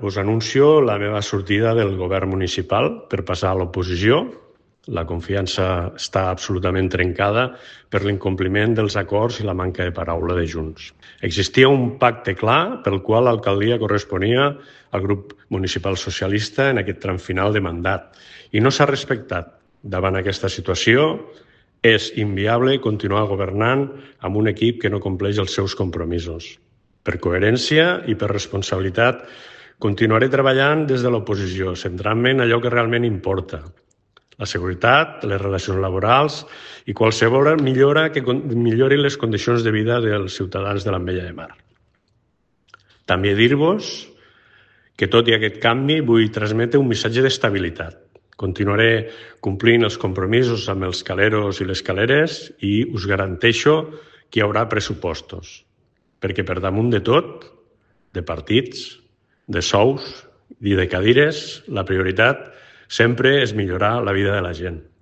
Us anuncio la meva sortida del govern municipal per passar a l'oposició. La confiança està absolutament trencada per l'incompliment dels acords i la manca de paraula de Junts. Existia un pacte clar pel qual l'alcaldia corresponia al grup municipal socialista en aquest tram final de mandat i no s'ha respectat. Davant aquesta situació, és inviable continuar governant amb un equip que no compleix els seus compromisos. Per coherència i per responsabilitat, continuaré treballant des de l'oposició, centrant-me en allò que realment importa: la seguretat, les relacions laborals i qualsevol millora que millori les condicions de vida dels ciutadans de l'Ametlla de Mar. També dir-vos que, tot i aquest canvi, vull transmetre un missatge d'estabilitat. Continuaré complint els compromisos amb els caleros i les caleres i us garanteixo que hi haurà pressupostos, perquè per damunt de tot, de partits, de sous i de cadires, la prioritat sempre és millorar la vida de la gent.